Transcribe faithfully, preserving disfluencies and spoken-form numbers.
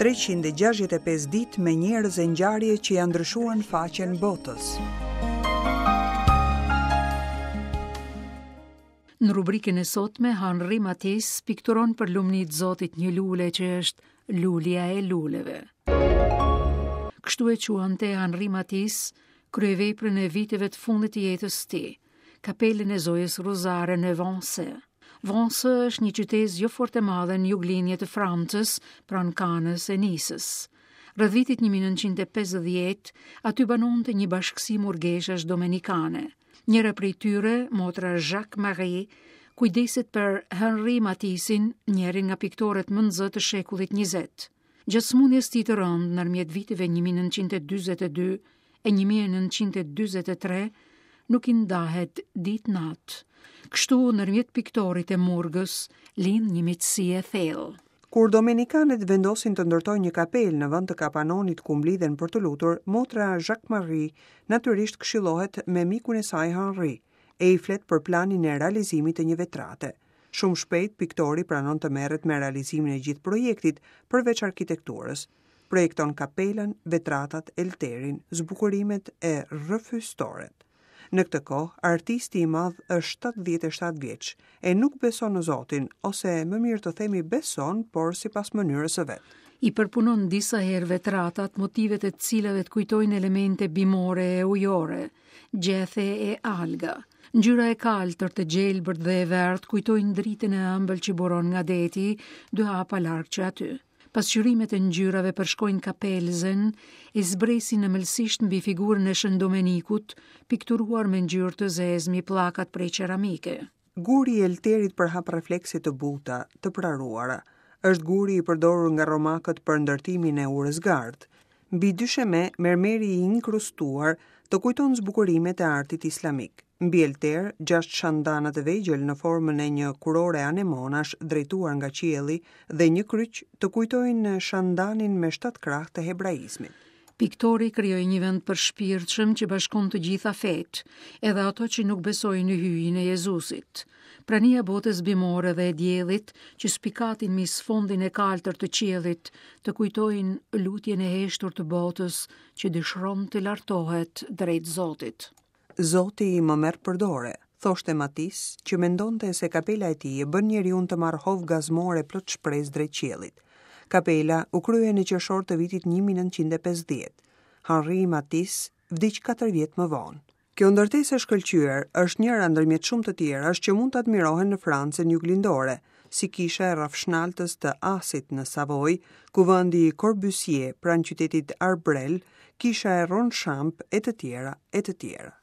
treqind e gjashtëdhjetë e pesë ditë me njerëz e ngjarje që ja ndryshuan faqen botës. Në rubrikën e sotme, Henri Matisse pikturon për lumni të Zotit një lule që është lulja e luleve. Kështu e quante Henri Matisse kryeveprën e viteve të fundit të jetës së tij, kapelën e Zojës Rozare në Vence. Vence është një qytez jo fort e madhe në juglinje të Francës, pranë Kanës e Nisës. Rreth vitit një mijë e nëntëqind e pesëdhjetë, aty banonte një bashkësi murgeshash domenikane. Njëra prej tyre, motra Jacques Marie, kujdeset për Henri Matissin, njërin nga piktorët më në zë të shekullit njëzet. Gjatë sëmundjes tij të rëndë, ndërmjet viteve një mijë e nëntëqind e dyzet e dy e një mijë e nëntëqind e dyzet e tre, nuk i ndahet ditë natë. Kështu, ndërmjet piktorit e murgës, lind një miqësi e thellë. Kur domenikanet vendosin të ndërtojnë një kapelë në vend të kapanonit ku mblidhen për të lutur, motra Jacques Marie natyrisht këshillohet me mikun e saj Henri, e i flet për planin e realizimit të një vetrate. Shumë shpejt piktori pranon të merret me realizimin e gjithë projektit, përveç arkitekturës. Projekton kapelën, vetratat, elterin, zbukurimet e rrëfystoret. Në këtë kohë, artisti i madh është shtatëdhjetë e shtatë vjeç e nuk beson në Zotin, ose më mirë të themi beson, por sipas mënyrës së vet. I përpunon disa herë vetratat, motivet e të cilave të kujtojnë elemente bimore e ujore, gjethe e alga. Ngjyra e kaltër, të gjelbërt dhe e verdhë kujtojnë dritën e ëmbël që buron nga deti, dy hapa larg që aty. Pasqyrimet e ngjyrave përshkojnë kapelzen e zbresin ëmbëlsisht mbi figurën e Shën Domenikut, pikturuar me ngjyrë të zezë mbi pllakat prej qeramike. Guri i elterit përhap reflekse të buta, të praruara. Është guri i përdorur nga romakët për ndërtimin e urës gardh. Mbi dysheme, mermeri i inkrustuar të kujton zbukurimet e artit islamik. Mbi elter, gjashtë shandana të vegjël në formën e një kurore anemonash drejtuar nga qielli dhe një kryq të kujtojnë shandanin me shtatë krah të hebraizmit. Piktori krijoi një vend për shpirtshëm që bashkon të gjitha fetë, edhe ato që nuk besojnë në hyjin e Jezusit. Prania e botës bimore dhe e diellit që spikatin mbi sfondin e kaltër të qiellit, të kujtojnë lutjen e heshtur të botës që dëshiron të lartohet drejt Zotit. Zoti më merr për dore, thoshte Matisse, që mendonte se kapela e tij e bën njeriun të marrë hov gazmore plot shpresë drejt qiellit. Kapela u krye në qershor të vitit një mijë e nëntëqind e pesëdhjetë. Henri Matisse vdiq katër vjet më vonë. Kjo ndërtesë e shkëlqyer është njëra ndërmjet shumë të tjerash që mund të admirohen në Francën juglindore, si kisha e rrafshnaltës të Asit në Savoy, kuvendi i Corbusier pranë qytetit Arbrel, kisha e Ronchamp e të tjera e të tjera.